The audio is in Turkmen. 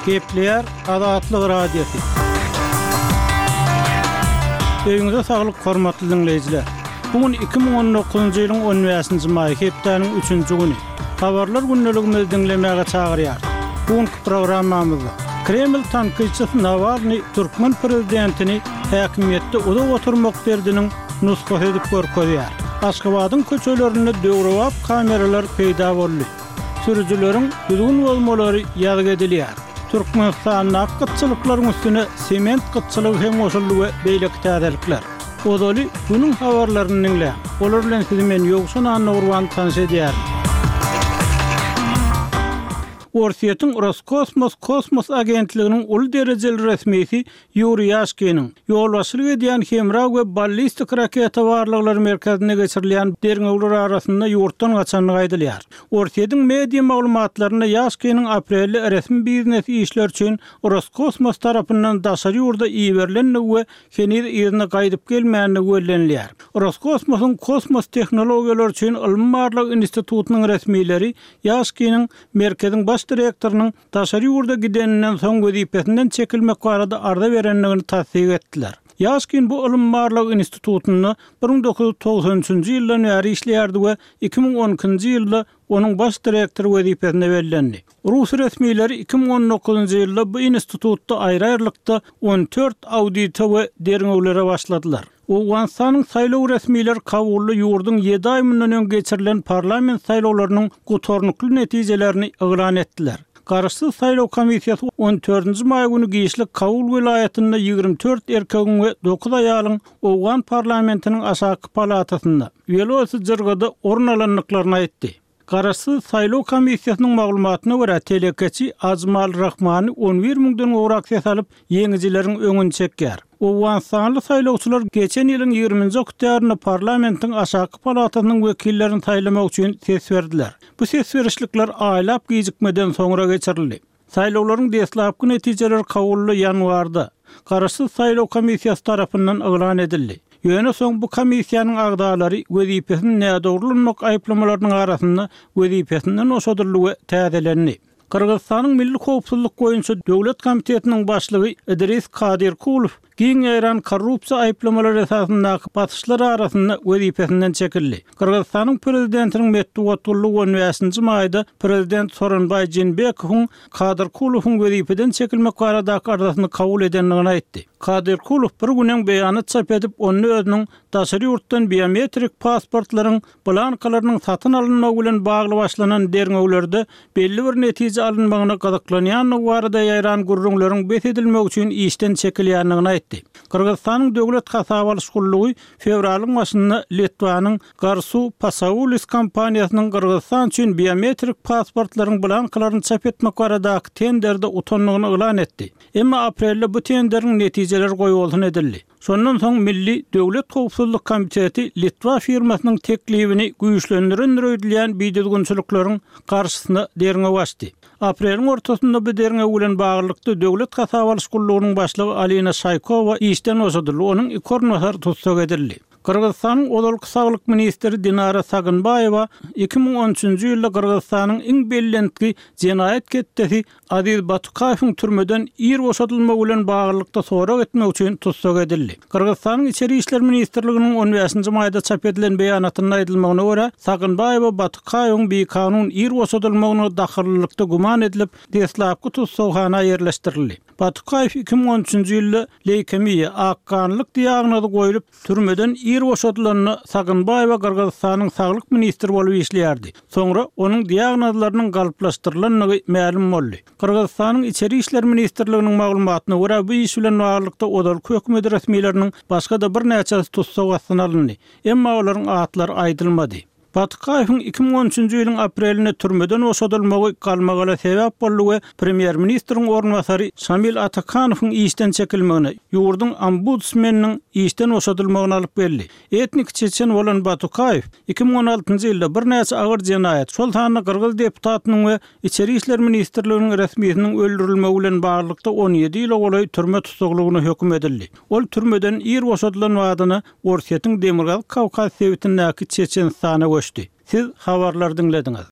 Gepleýär Azatlyk Radiosy. Öýüňize saglyk hormatly diňleýjiler. Bu gün 2019-njy ýylyň 15-nji maýy hepdäniň üçünji güni. Habarlar gündeligimizi diňlemäge çagyrýarys. Bu günki programmamyzda Kreml tankytçysy Nawalnyý türkmen prezidentini häkimiýetde uzak oturmak derdiniň nusgasy edip görkezýär. Aşgabadyň köçelerinde döwrebap kameralar peýda boldy. Sürüjileriň düzgün bozmalary ýazgy edilýär. Türkmenistandaky gytçylyklaryň üstüne sement gytçylygy hem goşuldy we beýleki täzelikler. Ozaly günüň habarlaryny diňläň. Olar bilen sizi men Ýowşan Annagurban tanyş edýärin. Orsýetiň Roskosmos kosmos agentliginiň uly derejeli resmisi Ýuriý Ýaşkiniň ýolbaşçylyk edýän hemra we ballistik raketa barlaglary merkezinde geçirilýän derňewler arasynda ýurtdan gaçandygy aýdylýar. Orsýetiň media maglumatlarynda Ýaşkiniň aprelde resmi biznes işler üçin Roskosmos tarapyndan daşary ýurda iberilendigi we heniz yzyna gaýdyp gelmändigi bellenilýär. Roskosmosyň Kosmos tehnologiýalary üçin ylmy-barlag institutynyň resmileri Ýaşkiniň merkeziň baş direktorynyň daşary ýurda gideninden soň wezipesinden çekilmek barada arza berendigini tassyk etdiler. Ýaşkin bu ylym-barlag institutynda 1993-nji ýyldan bäri işleýärdi we 2012-nji ýylda onuň baş direktory wezipesine bellendi. Rus resmileri 2019-njy ýylda bu institutda aýry-aýrylykda 14 audite we derňewlere başladylar. Owganystanyň saýlaw resmileri Kabulda ýurduň ýedi aý mundan öň geçirilen parlament saýlawlarynyň gutarnykly netijelerini yglan etdiler. Garaşsyz saýlaw komissiýasy on dördünji maý güni giçlik Kabul welaýatynda 24 erkegiň we dokuz aýalyň owgan parlamentiniň aşaky palatasynda, Welosy jyrgada orun alandyklaryny aýtdy. Garaşsyz saýlaw komissiýasynyň maglumatyna görä, telekeçi Ajmal Rahmany 11 müňden gowrak ses alyp, ýeňijileriň öňüni çekýär. Owganystanly saýlawçylar geçen ýylyň ýigriminji oktýabrynda parlamentiň aşaky palatasynyň wekillerini saýlamak üçin ses berdiler. Bu ses berişlikler aýlap gijikmeden soňra geçirildi. Saýlawlaryň deslapky netijeleri Kabulda ýanwarda, Garaşsyz saýlaw komissiýasy tarapyndan yglan edildi. Ýöne soň bu komissiýanyň agzalary wezipesini nädogry ulanmak aýyplamalarynyň arasynda wezipesinden boşadyldy we täzelendi. Gyrgyzystanyň Milli howpsuzlyk boýunça döwlet komitetiniň başlygy Idris Kadyrkulow Giň ýaýran korrupsiýa aýyplamalary esasyndaky basyşlar arasynda wezipesinden çekildi. Gyrgyzystanyň prezidentiniň metbugat gullugy on bäşinji maýda prezident Soronbaý Jeenbekowyň Kadyrkulowyň wezipeden çekilmek baradaky arzasyny kabul edendigini aýtdy. Kadyrkulow bir gün öň beýanat çap edip, onda özüniň daşary ýurtdan biometrik pasportlaryň blankalarynyň satyn alynmagy bilen bagly başlanan derňewlerde belli bir netije alynmagyna gyzyklanýandygy barada ýaýran gürrüňleriň bes edilmegi üçin işden çekilýändigini aýtdy. Gyrgyzystanyň Döwlet hasaba alyş gullugy fewralyň başynda Litwanyň Garsu Pasaulis kompaniýasynyň Gyrgyzystan üçin biometrik pasportlaryň blankalaryny çap etmek baradaky tenderde utandygyny yglan etdi. Emma aprelde bu tenderiň netijeleri goýbolsun edildi. Şondan soň Milli döwlet howpsuzlyk komiteti litwa firmasynyň teklibini güýçlendirendir öýdülýän bidüzgünçilikleriň garşysyna derňew açdy. Apreliň ortasynda bu derňew bilen baglylykda Döwlet hasaba alyş gullugynyň başlygy Alina Şaýkowa işden boşadyldy, onuň iki orunbasary tussag edildi. Gyrgyzystanyň ozalky saglyk ministri Dinara Sagynbaýewa 2013-nji ýylda Gyrgyzystanyň iň bellentgi jenaýat ketdesi Aziz Batukaýewiň türmeden ir boşadylmagy bilen baglylykda sorag etmek üçin tussag edildi. Gyrgyzystanyň Içeri işler ministrliginiň on bäşinji maýda çap edilen beýanatynda aýdylmagyna görä, Sagynbaýewa Batukaýewiň bikanun ir boşadylmagyna dahyllylykda güman edilip, deslapky tussaghana ýerleşdirildi. Batukaýew 2013-nji ýylda leýkemiýa, akganlyk diagnozy goýlup, Türmeden ir boşadylanda Sagynbaýewa Gyrgyzystanyň saglyk ministri bolup işleýärdi. Soňra onuň diagnozlarynyň galplaşdyrylandygy mälim boldy. Gyrgyzystanyň Içeri işler ministrliginiň maglumatyna görä, bu iş bilen baglylykda ozalky hökümet resmileriniň başga-da birnäçesi tussag astyna alyndy. Emma olaryň atlary aýdylmady. Batykaýewiň 2013-nji ýylyň aprelinde türmeden boşadylmagy galmagala sebäp boldy we premýer-ministriň orunbasary Şamil Atakanowyň işden çekilmegine, ýurduň ombudsmeniniň işden boşadylmagyna alyp geldi. Etnik çeçen bolan Batukaýew 2016-njy ýylda birnäçe agyr jenaýat, şol sanda gyrgyz deputatynyň we Içeri işler ministrliginiň resmisiniň öldürilmegi bilen baglylykda 17 ýyla golaý türme tussaglygyna höküm edildi. Ol türmeden ir boşadylan badyna Orsýetiň Demirgazyk Kawkaz sebitindäki Çeçenistana göçdi. Siz habarlary diňlediňiz.